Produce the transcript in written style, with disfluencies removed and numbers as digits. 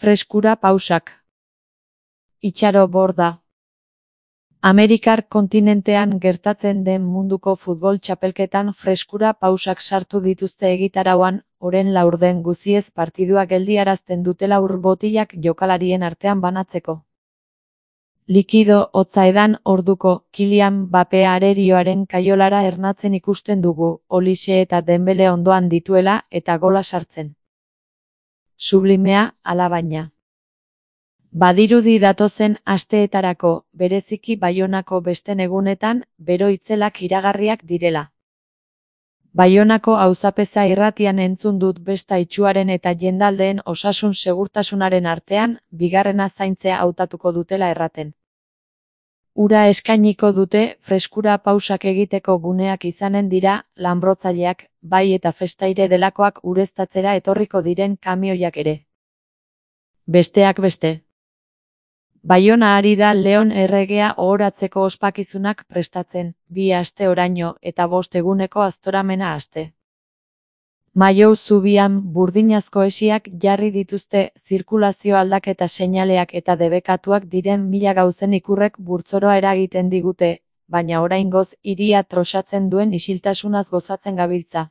Freskura pausak. Itxaro borda. Amerikar kontinentean gertatzen den munduko futbol txapelketan freskura pausak sartu dituzte egitarauan, oren laurden guziez partidua geldiarazten dutela ur botilak jokalarien artean banatzeko. Likido hotza edan orduko Kylian Mbappé arerioaren kaiolara ernatzen ikusten dugu, Olise eta Dembele ondoan dituela eta gola sartzen. Sublimea, alabaina. Badirudi datozen asteetarako, bereziki Baionako besten egunetan, bero itzelak iragarriak direla. Baionako auzapeza irratian entzun dut besta itsuaren eta jendaldeen osasun segurtasunaren artean, bigarrena zaintzea hautatuko dutela erraten. Ura eskainiko dute, freskura pausak egiteko guneak izanen dira, lanbrotzaileak, bai eta festaire delakoak ureztatzera etorriko diren kamioiak ere. Besteak beste. Baiona ari da Leon erregea ohoratzeko ospakizunak prestatzen, 2 aste oraino eta 5 eguneko aztoramena aste. Maiou zubian burdinazko hesiak jarri dituzte zirkulazio aldaketa seinaleak eta debekatuak diren 1000 gauzen ikurrek burtzoroa eragiten digute, baina oraingoz hiria trosatzen duen isiltasunaz gozatzen gabiltza.